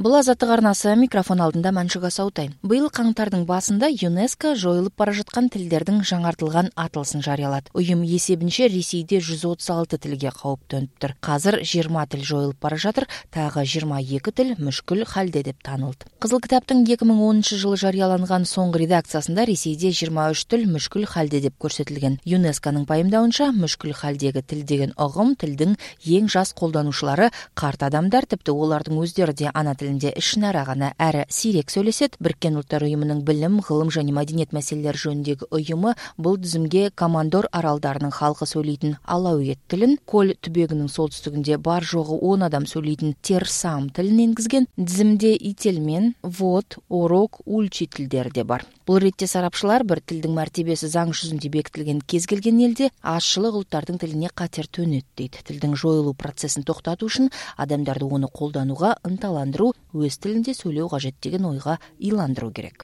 Бул Азаттык арнасы, микрофон алдында Маншуга Саутай. Быйыл каңтардын басында ЮНЕСКО жоюлуп бара жаткан тилдердин жаңартылган атылсын жарыялады. Уюм эсебинче Ресейде 136 тилге кооптөнүптүр. Азыр 20 тил жоюлуп бара жатыр, тагы 22 тил мүшкүл халде деп таанылды. Кызыл китаптын 2010-жылы жарыяланган соңку редакциясында Ресейде 23 тил мүшкүл халде деп көрсөтүлгөн. ЮНЕСКОнун пайымдауынча, мүшкүл халдеги тил деген огум тилдин эң жас колдонуучулары карт адамдар, типти олардын өздөрү де ана тилинде ишнара гана әрі сирек сөйлесет. Бириккен Улуттар уюмунун билим, гылым жана маданият маселелери жөнүндөгү уюму бул тизимге Командор аралдарынын халкы сөйлейтин алауит тилин, Коль түбөгүнүн солтүстүгүндө бар жогу 10 адам сөйлейтин Терсам тилин энгизген. Тизимде ителмен, вод, орок, ульчи тилдери де бар. Бул ретте сарапчылар бир тилдин мартебеси заң жүзүндө бекитилген кез келген элде азчылык улуттардын тилине катер төнөт дейт. Тилдин жоюлуу процессин токтотуу үчүн адамдарды оны колдонууга ынталандыруу, өз тилинде сүйлөө кажеттигин ойга ыйландыруу керек.